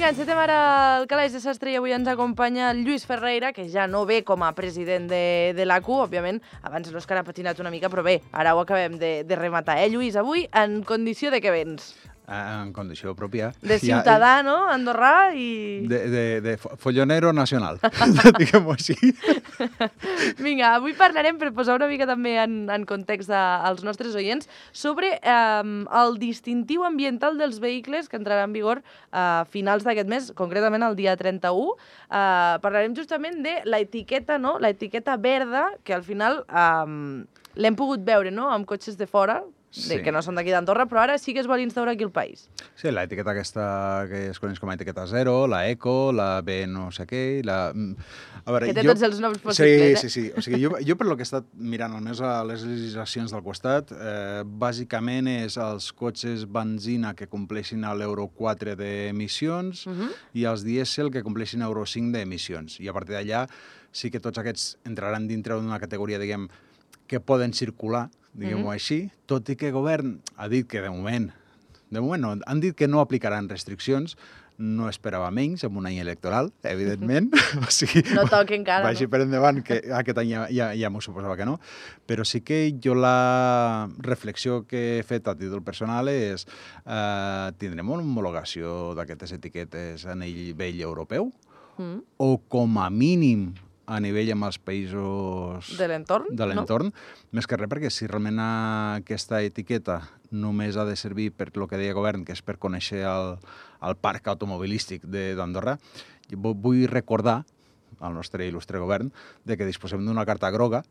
Vinga, encetem ara el calaix de sastre i avui ens acompanya el Lluís Ferreira, que ja no ve com a president de l'ACU, òbviament, abans l'Òscar ha patinat una mica, però bé, ara ho acabem de rematar. Lluís, avui en condició de què vens? En condició pròpia. De ciutadà, no?, andorrà i... De follonero nacional, diguem-ho així. Vinga, avui parlarem, per posar una mica també en context als nostres oients, sobre el distintiu ambiental dels vehicles que entrarà en vigor a finals d'aquest mes, concretament el dia 31. Parlarem justament de l'etiqueta, no?, l'etiqueta verda, que al final l'hem pogut veure, no?, amb cotxes de fora, que no són d'aquí d'Andorra, però ara sí que es vol instaurar aquí al país. Sí, l'etiqueta aquesta que es coneix com a etiqueta zero, la eco, la B no sé què... Que té tots els noms possibles, Sí. O sigui, jo per lo que he estat mirant almenys a les legislacions del costat, bàsicament és els cotxes benzina que compleixin l'Euro 4 d'emissions i els dièsel que compleixin Euro 5 d'emissions. I a partir d'allà sí que tots aquests entraran dintre d'una categoria, diguem, que poden circular, diguem-ho així, tot i que el govern ha dit que de moment no, han dit que no aplicaran restriccions, no esperava menys en un any electoral, evidentment. O sigui, no toca encara, vagi per endavant, que aquest any ja m'ho suposava que no, però sí que jo la reflexió que he fet a títol personal és tindrem una homologació d'aquestes etiquetes a nivell europeu? O com a mínim a nivell amb els països de l'entorn, més que res perquè si realment aquesta etiqueta només ha de servir per el que deia el govern, que és per conèixer el parc automobilístic d'Andorra, vull recordar al nostre il·lustre govern de que disposem d'una carta groga,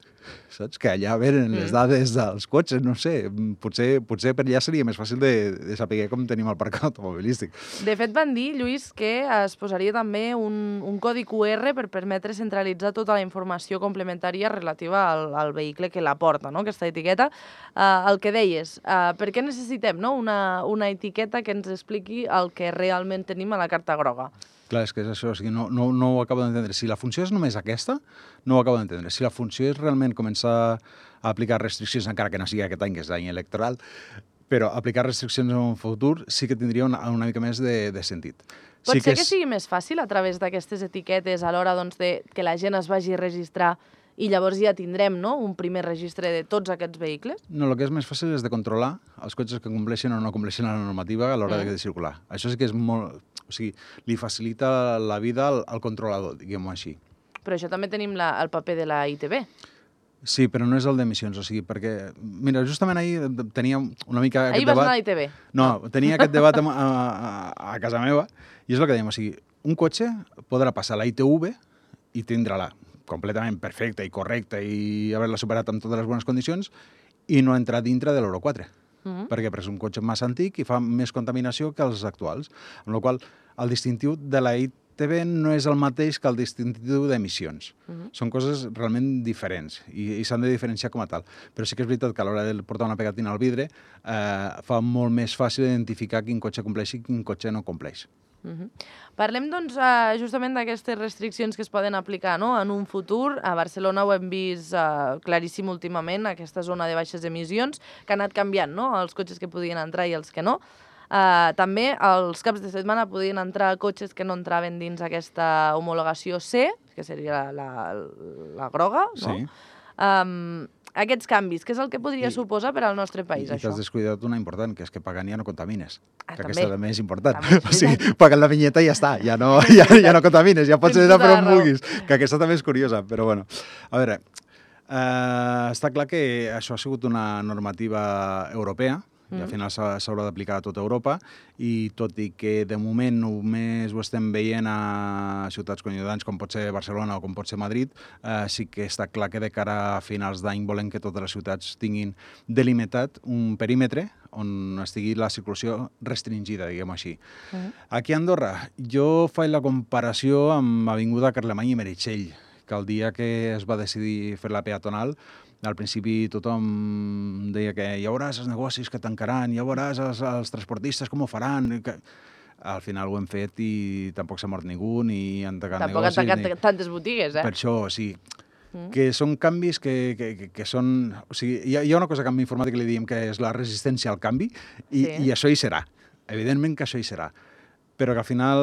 saps? Que allà venen les dades dels cotxes, no sé, potser per allà seria més fàcil de saber com tenim el parc automobilístic. De fet, van dir, Lluís, que es posaria també un codi QR per permetre centralitzar tota la informació complementària relativa al vehicle que la porta, no?, aquesta etiqueta. El que deies, per què necessitem, no?, una etiqueta que ens expliqui el que realment tenim a la carta groga? Clar, és que és això, o sigui, no ho acabo d'entendre. Si la funció és només aquesta, no ho acabo d'entendre. Si la funció és realment començar a aplicar restriccions, encara que no sigui aquest any, que és l'any electoral, però aplicar restriccions en un futur sí que tindria una mica més de sentit. Pot ser que sigui més fàcil a través d'aquestes etiquetes a l'hora que la gent es vagi a registrar i llavors ja tindrem, no?, un primer registre de tots aquests vehicles? No, el que és més fàcil és de controlar els cotxes que compleixen o no compleixen la normativa a l'hora de circular. Això sí que és molt... O sigui, li facilita la vida al controlador, diguem-ho així. Però això també tenim el paper de la ITB. Sí, però no és el d'emissions, o sigui, perquè... Mira, justament ahir tenia una mica aquest debat... Ahir vas anar a l'ITB? No, tenia aquest debat a casa meva, i és el que dèiem, o sigui, un cotxe podrà passar la ITV i tindrà-la completament perfecta i correcta i haver-la superat amb totes les bones condicions i no entrar dintre de l'Euro 4. Perquè és un cotxe massa antic i fa més contaminació que els actuals. Amb la qual cosa, el distintiu de la ITV no és el mateix que el distintiu d'emissions. Són coses realment diferents i s'han de diferenciar com a tal. Però sí que és veritat que a l'hora de portar una pegatina al vidre fa molt més fàcil identificar quin cotxe compleix i quin cotxe no compleix. Parlem, doncs, justament d'aquestes restriccions que es poden aplicar, no?, en un futur. A Barcelona ho hem vist claríssim últimament, aquesta zona de baixes emissions, que ha anat canviant, no?, els cotxes que podien entrar i els que no. També els caps de setmana podien entrar cotxes que no entraven dins aquesta homologació C, que seria la groga, no? Sí. Aquests canvis, què és el que podria suposar per al nostre país, això? I t'has descuidat una important, que és que pagant ja no contamines. Que també. aquesta també és important. O sigui, pagant la vinyeta i ja està, ja no contamines, ja pots anar per on vulguis. Que aquesta també és curiosa, però bueno. A veure, està clar que això ha sigut una normativa europea, i al final s'haurà d'aplicar a tota Europa, i tot i que de moment només ho estem veient a ciutats coincidents com pot ser Barcelona o com pot ser Madrid, sí que està clar que de cara a finals d'any volem que totes les ciutats tinguin delimitat un perímetre on estigui la circulació restringida, diguem-ho així. Aquí a Andorra, jo faig la comparació amb Avinguda Carlemany i Meritxell, que el dia que es va decidir fer la peatonal, al principi tothom deia que ja veuràs els negocis que tancaran, ja veuràs els transportistes com ho faran. Al final ho hem fet i tampoc s'ha mort ningú, ni han tancat negocis. Tampoc han tancat tantes botigues, Per això, sí. Que són canvis que són... O sigui, hi ha una cosa que en informàtica li diem que és la resistència al canvi, i això hi serà. Evidentment que això hi serà. però que al final,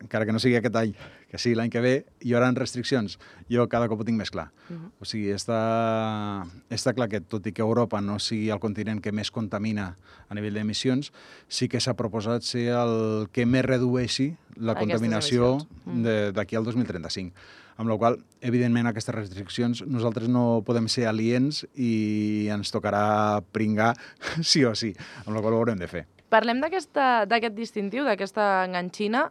encara que no sigui aquest any, que sigui l'any que ve, hi haurà restriccions. Jo cada cop ho tinc més clar. O sigui, està clar que, tot i que Europa no sigui el continent que més contamina a nivell d'emissions, sí que s'ha proposat ser el que més redueixi la contaminació d'aquí al 2035. Amb la qual cosa, evidentment, aquestes restriccions nosaltres no podem ser aliens i ens tocarà pringar sí o sí, amb la qual cosa ho haurem de fer. Parlem d'aquest distintiu, d'aquesta enganxina.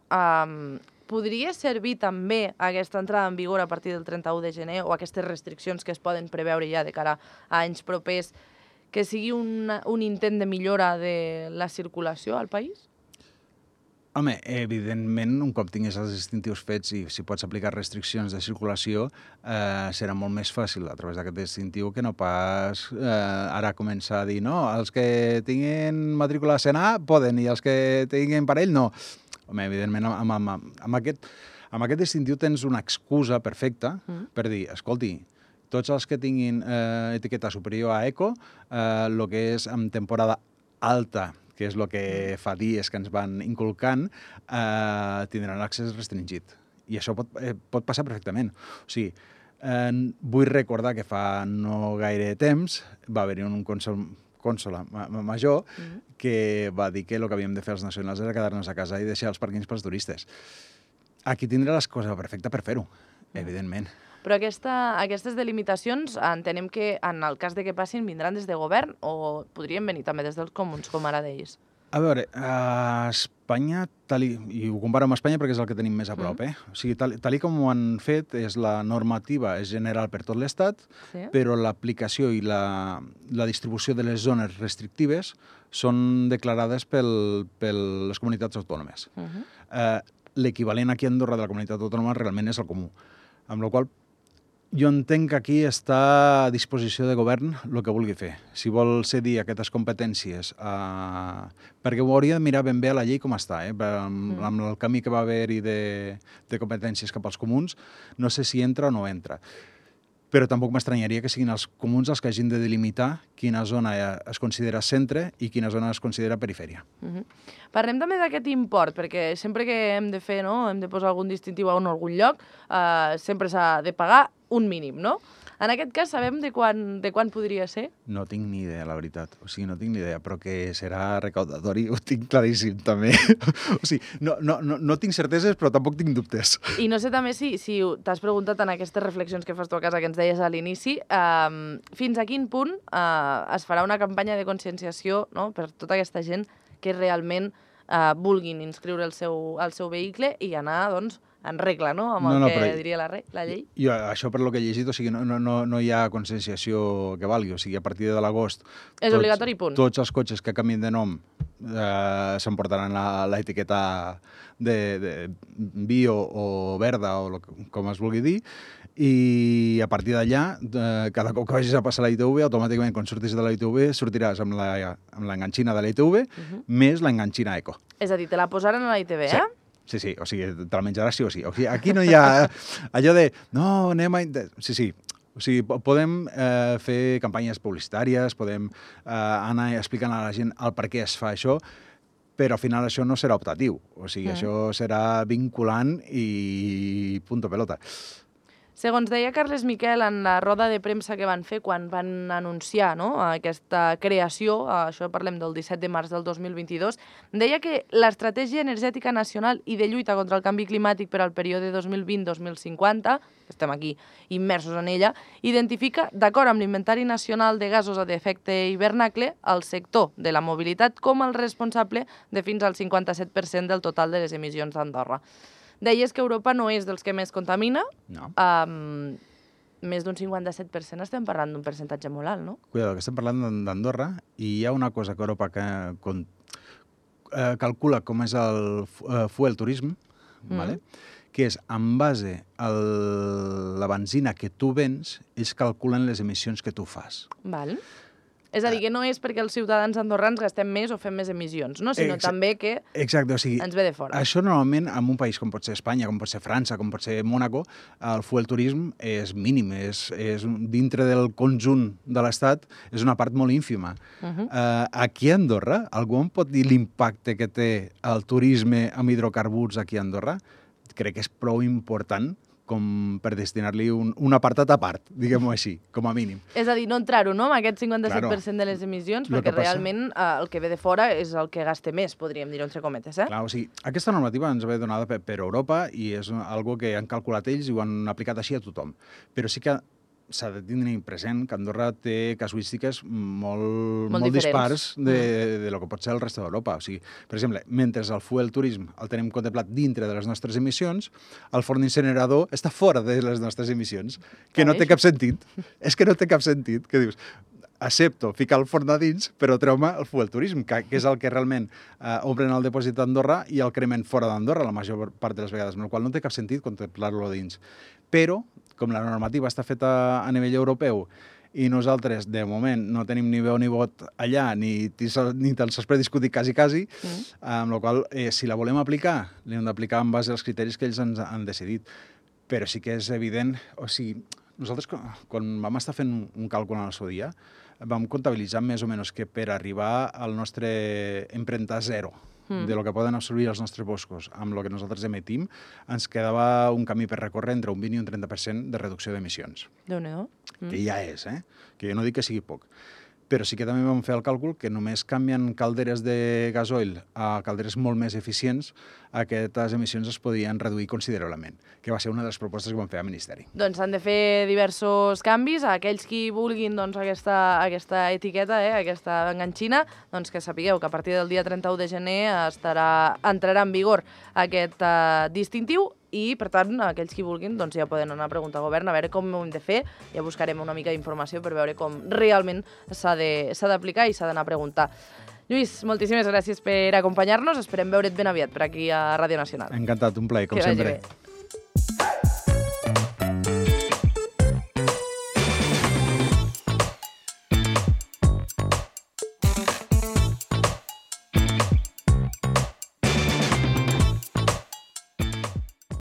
Podria servir també aquesta entrada en vigor a partir del 31 de gener o aquestes restriccions que es poden preveure ja de cara a anys propers, que sigui un intent de millora de la circulació al país? Home, evidentment, un cop tingués els distintius fets i si pots aplicar restriccions de circulació, serà molt més fàcil a través d'aquest distintiu que no pas ara començar a dir no, els que tinguin matrícula CNA poden i els que tinguin parell no. Home, evidentment, amb aquest distintiu tens una excusa perfecta per dir, escolti, tots els que tinguin etiqueta superior a eco, el que és en temporada alta, que és el que fa dies que ens van inculcant, tindran l'accés restringit. I això pot passar perfectament. O sigui, vull recordar que fa no gaire temps va haver-hi un cònsol major que va dir que el que havíem de fer els nacionals era quedar-nos a casa i deixar els pàrquings pels turistes. Aquí tindrà l'excusa perfecta per fer-ho, evidentment. Però aquestes delimitacions entenem que en el cas de que passin vindran des de govern o podrien venir també des dels comuns, com ara d'ells? A veure, a Espanya, i ho comparo amb Espanya perquè és el que tenim més a prop, o sigui, tal com ho han fet, la normativa és general per tot l'Estat, però l'aplicació i la distribució de les zones restrictives són declarades per les comunitats autònomes. L'equivalent aquí a Andorra de la comunitat autònoma realment és el comú, amb la qual cosa jo entenc que aquí està a disposició de govern el que vulgui fer. Si vol cedir aquestes competències, perquè ho hauria de mirar ben bé a la llei com està, amb el camí que va haver-hi de competències cap als comuns, no sé si entra o no entra. Però tampoc m'estranyaria que siguin els comuns els que hagin de delimitar quina zona es considera centre i quina zona es considera perifèria. Parlem també d'aquest import, perquè sempre que hem de fer, hem de posar algun distintiu a algun lloc, sempre s'ha de pagar un mínim, no? En aquest cas, sabem de quan podria ser? No tinc ni idea, la veritat. O sigui, no tinc ni idea, però que serà recaudatori ho tinc claríssim, també. O sigui, no tinc certeses, però tampoc tinc dubtes. I no sé també si t'has preguntat en aquestes reflexions que fas tu a casa, que ens deies a l'inici, fins a quin punt es farà una campanya de conscienciació per tota aquesta gent que realment vulguin inscriure el seu vehicle i anar, doncs, en regla, no?, amb el que diria la llei. I això per lo que he llegit, o sigui, no hi ha conscienciació que valgui, o sigui, a partir de l'agost... És obligatori, punt. Tots els cotxes que canvien de nom s'emportaran l'etiqueta de bio o verda, o com es vulgui dir, i a partir d'allà, cada cop que vagis a passar la ITV, automàticament, quan surtis de la ITV, sortiràs amb l'enganxina de la ITV més l'enganxina eco. És a dir, te la posaran a la ITV, eh? Sí, o sigui, te la menjaràs sí o sí. O sigui, aquí no hi ha allò de, no, anem a... Sí, o sigui, podem fer campanyes publicitàries, podem anar explicant a la gent el per què es fa això, però al final això no serà optatiu. O sigui, això serà vinculant i punto pelota. Segons deia Carles Miquel en la roda de premsa que van fer quan van anunciar aquesta creació, això parlem del 17 de març del 2022, deia que l'Estratègia Energètica Nacional i de lluita contra el canvi climàtic per al període 2020-2050, que estem aquí immersos en ella, identifica, d'acord amb l'Inventari Nacional de Gasos d'Efecte Hivernacle, el sector de la mobilitat com el responsable de fins al 57% del total de les emissions d'Andorra. Deies que Europa no és dels que més contamina. No. Més d'un 57%, estem parlant d'un percentatge molt alt, no? Cuidado, que estem parlant d'Andorra i hi ha una cosa que Europa calcula com és el fuel turisme, que és en base a la benzina que tu vens, ells calculen les emissions que tu fas. Val. És a dir, que no és perquè els ciutadans andorrans gastem més o fem més emissions, no? Sinó també que exacte, o sigui, ens ve de fora. Això normalment, en un país com pot ser Espanya, com pot ser França, com pot ser Mònaco, el fuel turisme és mínim, és dintre del conjunt de l'Estat, és una part molt ínfima. Aquí a Andorra, algú em pot dir l'impacte que té el turisme amb hidrocarburs aquí a Andorra? Crec que és prou important com per destinar-li un apartat a part, diguem-ho així, com a mínim. És a dir, no entrar-ho, no?, amb aquest 57% de les emissions, perquè realment el que ve de fora és el que gaste més, podríem dir-ho entre cometes, eh? Clar, o sigui, aquesta normativa ens ve donada per Europa i és algo que han calculat ells i ho han aplicat així a tothom. Però sí que s'ha de tenir present que Andorra té casuístiques molt dispars de lo que pot ser el resta d'Europa. O sigui, per exemple, mentre el fuel turisme el tenim contemplat dintre de les nostres emissions, el forn incinerador està fora de les nostres emissions, que no té cap sentit. És que no té cap sentit. Que dius, accepto ficar el forn a dins, però treu-me el fuel turisme, que és el que realment obren el dipòsit d'Andorra i el cremen fora d'Andorra la major part de les vegades, amb la qual no té cap sentit contemplar-lo a dins. Però, com la normativa està feta a nivell europeu i nosaltres, de moment, no tenim ni veu ni vot allà, ni tan sols per discutir quasi, amb la qual si la volem aplicar, l'hem d'aplicar en base als criteris que ells ens han decidit. Però sí que és evident, o sigui, nosaltres quan vam estar fent un càlcul en el seu dia, vam comptabilitzar més o menys que per arribar al nostre empremta zero, de lo que poden absorbir els nostres boscos amb el que nosaltres emetim, ens quedava un camí per recórrer entre un 20 i un 30% de reducció d'emissions. Déu-n'hi-do. Que ja és, que jo no dic que sigui poc. Però sí que també vam fer el càlcul que només canviant calderes de gasoil a calderes molt més eficients, aquestes emissions es podien reduir considerablement, que va ser una de les propostes que vam fer al Ministeri. Doncs s'han de fer diversos canvis. Aquells qui vulguin aquesta etiqueta, aquesta enganxina, doncs que sapigueu que a partir del dia 31 de gener entrarà en vigor aquest distintiu i, per tant, aquells qui vulguin doncs ja poden anar a preguntar al govern a veure com ho hem de fer. Ja buscarem una mica d'informació per veure com realment s'ha d'aplicar i s'ha d'anar a preguntar. Lluís, moltíssimes gràcies per acompanyar-nos. Esperem veure't ben aviat per aquí a Ràdio Nacional. Encantat, un plaer, com sempre. Que vagi bé.